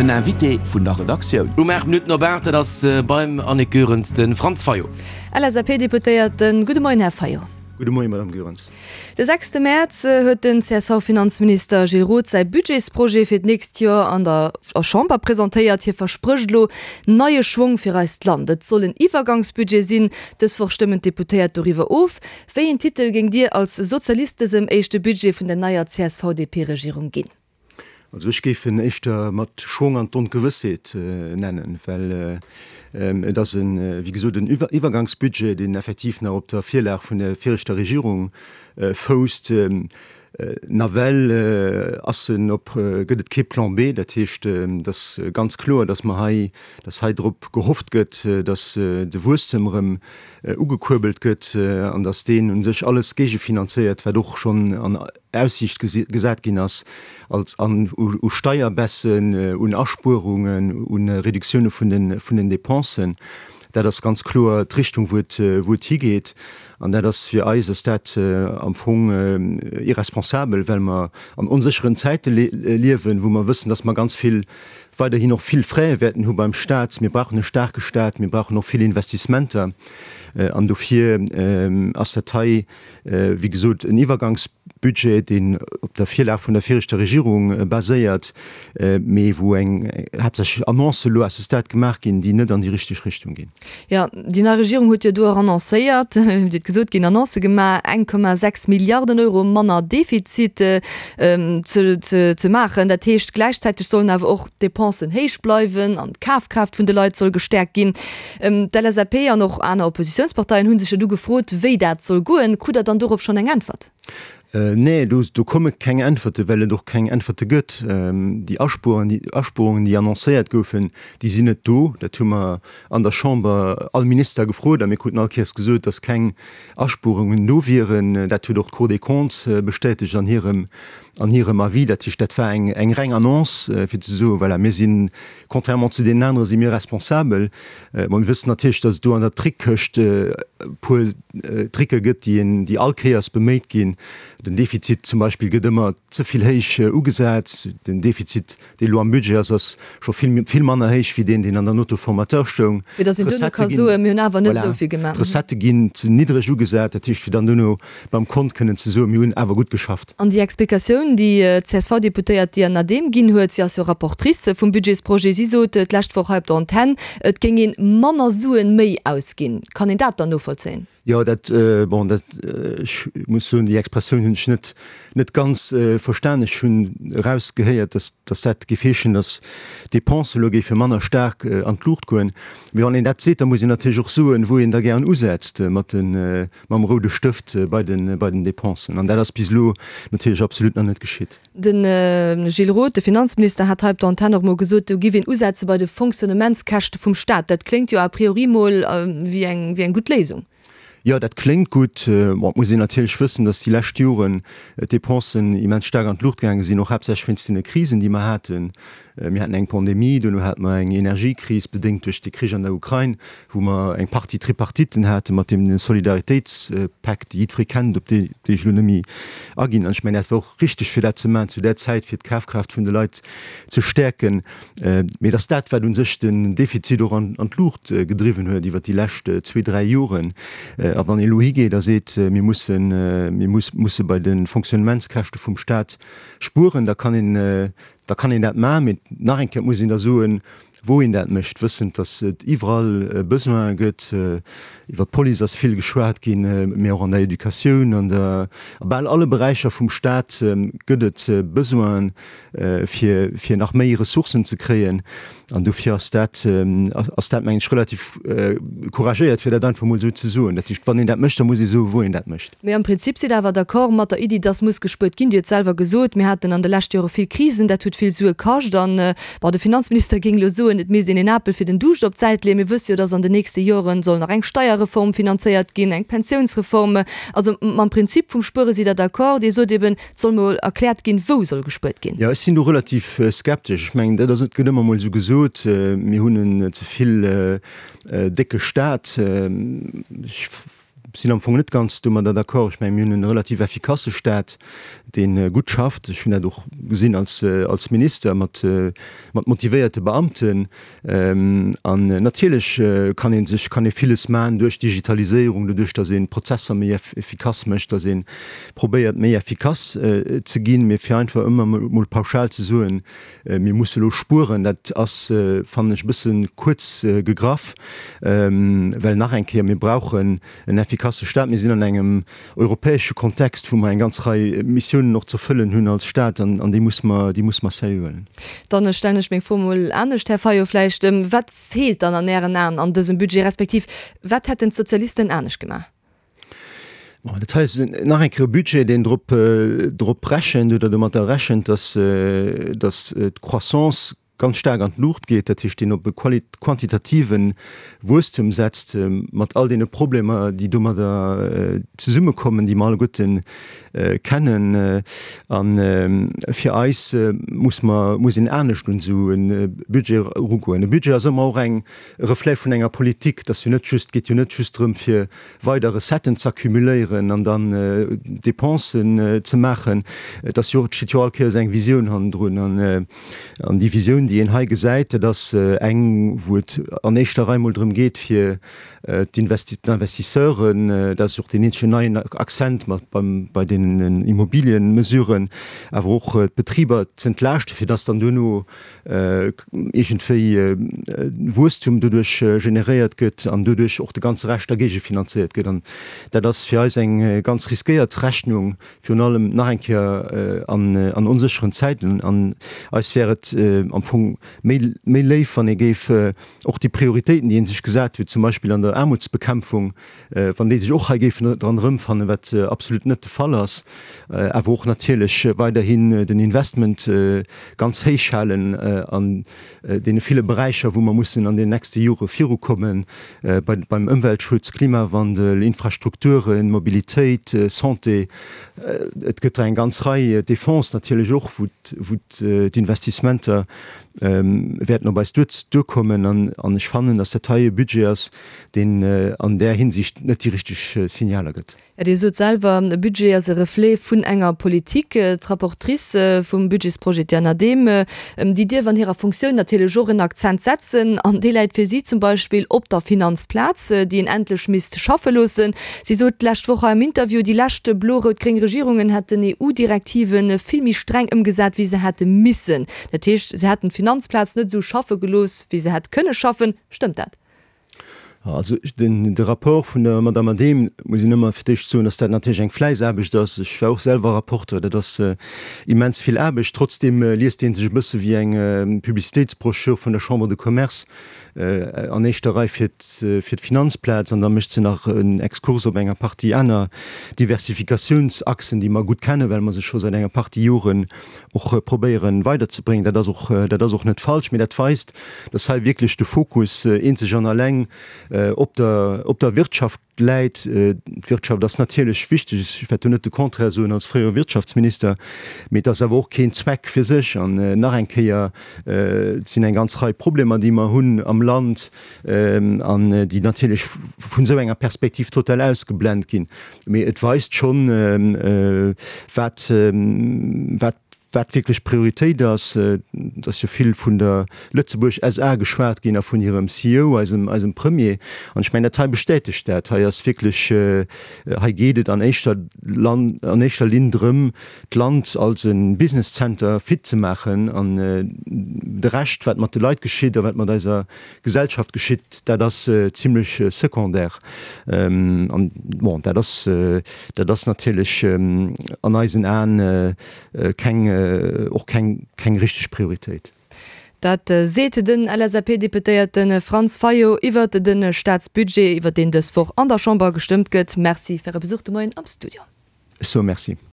Den Invité vun der Redaktioun. Um 8 Minutten op 8, dat ass beim Annick Goerens de Franz Fayot. LSAP-Deputéierten, Gudde Moien, Här Fayot. Gudde Moien, Madame Goerens. De sechste Mäerz huet den CSV-Finanzminister Gilles Roth säi Budgetsprojet fir d'nächst Joer an der Chamber presentéiert. Hie versprécht elo neie Schwong fir eist Land. Et soll en Iwwergangsbudget sinn. Dës Woch stëmmen d'Deputéiert doriwwer of. Wéi een Titel géingt Dir als Sozialist dësem éischte Budget vun der neier CSV-DP-Regierung ginn? Also ech géif en éischter mat Schwong an d'Ongewëssheet nennen, well et ass en, wéi gesot, en Iwwergangsbudget, deen effektiv nach op der Virlag vun der viregter Regierung fousst. Nawell ass en op, gëtt et kee Plan B. Dat heescht, et ass ganz kloer, datt mer hei, datt hei drop gehofft gëtt, datt de Wuesstem erëm ugekuerbelt gëtt an datt deen u sech alles géigefinanzéiert, wat och schonn an Aussiicht gesat ginn ass, als an u Steierbaissen, un Aspuerungen, u Reduktioune vun den Dépensen. Dat ass ganz kloer d'Richtung, wou et, wou et higeet. An dat ass fir eis ass dat am Fong irresponsabel, well mer an onsécheren Zäite liewen, wou mer wëssen, dass mer ganz vill, weiderhin och vill Frais wäerten hu beim Stat. Mir brauchen e staarke Stat, mir brauchen och vill Investissementer. An dofir ass dat hei, wéi gesot, en Iwwergangsbudget, deen op der Virlag vun der viregter Regierung baséiert, mee wou eng haaptsächlech Annoncë elo à ce stade gemaach ginn, déi net an déi richteg Richtung ginn. Jo, déi nei Regierung huet jo do och annoncéiert, hutt gesot ginn, Annoncë gemaach, 1,6 Milliarden Euro manner Defizit ze maachen. Dat heescht, gläichzäiteg sollen awer och d'Depensen héich bleiwen an d'Kafkraaft vun de Leit soll gestäerkt ginn. D'LSAP an och aner Oppositiounsparteien hu sech jo du gefrot, wéi dat soll goen. Krut Der dann dorop schonn eng Äntwert? Nee, do komme keng Äntwerte, well et och keng Äntwerte gëtt. Déi Aspuerungen, déi annoncéiert goufen, déi sinn net do. Dat hu mer an der Chamber all Minister gefrot a mir kruten all Kéiers gesot, datt keng Aspuerungen do wieren. Dat huet och d'Cour des Comptes bestätegt an hirem an hirem Avis. Dat heescht, dat war eng eng reng Annonce, fir ze soen, voilà, mir sinn, contrairement zu deenen anere si mir responsabel. Bon, mir wëssen natierlech, datt et do an der Trickkëscht e puer Tricke gëtt, déi een, déi all Kéiers beméit ginn. Den Defizit zum Beispill gëtt ëmmer ze vill héich ugesat. Den Defizit Dee elo am Budget ass, ass scho vill, vill manner héich wéi deen, deen an der Note au formateur stoung. Fir datt een duerno ka soen, mir hunn awer net esou vill gemaach. D'Recettë ginn ze niddreg ugesat, dat heescht, fir dann duerno beim Kont kënnen ze soen, mir hunn awer gutt geschafft. An déi Explikatioun, déi d'CSV-Deputéiert Diane Adehm ginn huet, si ass jo Rapportrice vum Budgetsprojet, si sot d'lescht Woch hei op der Antenn, et géing ee manner Suen méi ausginn. Kann een dat dann novollzéien? Jo, dat, bon, dat, ech muss soen, déi Expressioun hunn ech net, net ganz verstan. Ech hunn erausgehéiert, dass, dass dat géif heeschen, dass d'Dépensen elo géife manner staark an d'Luucht goen. Mee wann een dat seet, da muss een natierlech och soen, wou een da gären usetzt mat de, mam roude Stëft bei den, bei den Dépensen. An dat ass bis elo natierlech absolut nach net geschitt. De Gilles Roth, de Finanzminister, hat hei op der Antenn och mol gesot, do giff een usetze bei de Fonctionnementskäschte vum Staat. Dat kléngt jo a priori mol wéi eng, wéi eng gutt Léisung. Jo, dat kléngt gutt. Bon, et muss een natierlech wëssen, datt déi lescht Joren d'Depensen immens staark an d'Luucht gaange sinn, och haaptsächlech wéinst deene Krisen, déi mer haten. Mir haten eng Pandemie, duerno hate mer eng Energiekris, bedéngt duerch de Krich an der Ukrain, wou mer eng Partie Tripartitten hate mat deem Solidaritéitspak, dee jiddweree kennt, op dee ech elo net méi aginn. An ech mengen, dat war och richteg, fir dat ze maachen zu där Zäit, fir d'Kafkraaft vun de Leit ze stäerken. Mee et ass dat, wat u sech den Defizit och an d'Luucht gedriwwen huet iwwert déi lescht zwee, dräi Joren. A wann ee elo higeet a seet, mir mussen, mir musse bei de Fonctionnementskäschte vum Stat spueren, da kann een, Da kann een dat maachen, mee nach eng Kéier, et muss een da soen, wou een dat mécht, wëssend, datt et iwwerall Besoine gëtt. Iwwer d'Police ass vill geschwat ginn, mee och an der Educatioun, an der, a bal alle Beräicher vum Stat gëtt et Besoinen, fir, fir nach méi Ressourcen ze kréien. An dofir ass dat, ass dat, mengen ech, relativ couragéiert, fir dat einfach emol esou ze soen. Dat heescht, wann een dat mécht, da muss ee soen, wou een dat mécht. Mee am Prinzip sidd Der awer d'accord mat der Iddi, dass muss gespuert ginn. Dir hutt selwer gesot, mir haten an de leschte Jore vill Krisen, dat huet vill Sue kascht. An, bon, de Finanzminister géing elo soen, et misst een een Apel fir den Duuscht op d'Säit leeën. Mir wësse jo, dass an den nächste Joren soll nach eng Steierreform finanzéiert ginn, eng Pensiounsreform. Also mam Prinzip vum Spuere sidd Der d'accord. Dir sot eben, et soll mol erkläert ginn, wou soll gespuert ginn. Jo, ech sinn do relativ skeptesch. Ech mengen, dat ass, et gëtt ëmmer mol esou gesot, mir hunn en ze vill décke Stat. Ech. sinn am Fong net ganz domadder d'accord. Ech mengen, mir hunn e relativ effikasse Staat, dee gutt schafft. Ech hunn dat och gesinn als, als Minister mat, mat motivéierte Beamten. An natierlech kann ee sech, kann ee villes maachen duerch d'Digitaliséierung, doduerch datt een d'Prozesser méi effikass mécht, datt ee probéiert méi effikass ze ginn. Mee fir einfach ëmmer emol pauschal ze soen, mir musse elo spueren, dat ass, fannen ech, e bësse kuerz gegraff. Well nach eng Kéier, mir brauchen en effikasse Staat. Mir sinn an engem europäesche Kontext, wou mer eng ganz Rei Missiounen och ze erfëllen hunn als Staat, an déi muss mer, déi muss mer seriö huelen. Dann stellen ech meng Fro emol anescht, Här Fayot, vläicht. Wat feelt dann an Ären Aen an dësem Budget, respektiv wat hätten d'Sozialisten anescht gemaach? Bon, dat hei ass nach eng Kéier e Budget, deen drop, drop rechent oder domatter rechent, dass, dass d'Croissance ganz staark an d'Luucht geet, dat heescht deen op e quantitative Wuesstum setzt, mat all deene Problemer, déi domadder zesummekommen, déi mer alleguerte kennen. A fir eis muss mer, muss een anescht un esou e Budget erugoen. E Budget ass ëmmer och eng, e Reflet vun enger Politik. Et ass jo net just, et geet jo net just drëm, fir weider Recetten z'accumuléieren an dann Dépensen ze maachen. Et ass jo, et steet jo all Kéiers eng Visioun hannendrun. An déi Visioun, déi een hei gesäit, dat ass eng, wou et an éischter Rei mol drëm geet, fir d'Investisseuren, dat ass och deen eenzegen neien Accent mat beim, bei deenen Immobilienmesuren, awer och d'Betriber z'entlaaschten, fir dass dann duerno iergendwéi Wuesstum doduerch generéiert gëtt an doduerch och de ganze Rescht da géigefinanzéiert gëtt. An dat ass fir eis eng ganz riskéiert Rechnung, virun allem nach eng Kéier an onsécheren Zäiten. An eis wär et am Fong méi, méi léif, wann ee géif och déi Prioritéiten, déi ee sech gesat huet, zum Beispill an der Aarmutsbekämpfung, wann déi sech och hei géifen dran erëmfannen, wat absolut net de Fall ass, awer och natierlech weiderhin den Investment ganz héich halen an deene ville Beräicher, wou mer mussen an den nächste Jore virukommen, beim Ëmweltschutz, Klimawandel, Infrastrukturen, Mobilitéit, Santé, et gëtt der eng ganz Rei, Défense natierlech och, wou d'Investissementer wäerten op eis duerkommen. An ech fannen, datt dat hei e Budget ass, deen an där Hinsicht net déi richteg Signaler gëtt. Jo, Dir sot selwer, e Budget ass e Reflet vun enger Politik. D'Rapportrice vum Budgetsprojet, d'Diane Adehm, déi dierf an hirer Funktioun natierlech och en Akzent setzen. An dee läit fir si zum Beispill op der Finanzplaz, déi een endlech misst schaffe loossen. Si sot d'lescht Woch hei am Interview, déi lescht blo-rout-gréng Regierungen hätten EU-Direktive vill méi streng ëmgesat, wéi se hätte missen. Dat heescht, se hätten d'Finanzplaz net esou schaffe gelooss, wéi se hätt kënne schaffen. Stëmmt dat? Also den, de Rapport vun der Madame Adehm, muss een ëmmer fir d'éischt soen, dass dat natierlech eng Fläissaarbecht ass. Ech war och selwer Rapporteur, dat ass immens vill Aarbecht. Trotzdeem liest dee sech e bësse wéi eng Publicitéitsbroschür vun der Chambre de Commerce, an éischter Rei fir fir d'Finanzplaz, an da mécht se nach en Exkurs op enger Partie aner Diversifikatiounsachsen, déi mer gutt kennen, well mer se scho säit enger Partie Joren och probéieren weiderzebréngen. Dat ass och, dat ass och net falsch, mee dat weist, dass hei wierklech de Fokus eenzeg an alleng op der, op der Wirtschaft läit. D'Wirtschaft ass natierlech wichteg, ech wäert do net de Contraire soen als fréiere Wirtschaftsminister, mee et ass awer och keen Zweck fir sech. An nach eng Kéier, et sinn eng ganz Rei Problemer, déi mer hunn am Land an déi natierlech vun esou enger Perspektiv total ausgeblent ginn. Mee et weist schonn, wat, wat, wat wierklech Prioritéit ass. Et ass jo vill vun der Lëtzebuerg SA geschwat ginn a vun hirem CEO, eisem, eisem Premier. An ech mengen, dat hei bestätegt dat. Hei ass wierklech, hei geet et an éischter Lan, an éischter Linn drëm, d'Land als e Business Center fit ze maachen. An de Rescht, wat mat de Leit geschitt a wat mat eiser Gesellschaft geschitt, dat ass zimlech secondaire. An bon, dat ass, dat ass natierlech an eisen Aen keng, och keng, keng richteg Prioritéit. Dat seet den LSAP-Deputéierte Franz Fayot iwwert de Staatsbudget, iwwert deen dës Woch an der Chamber gestëmmt gëtt. Merci fir Äre Besuch de Moien am Studio. Ech soe Merci.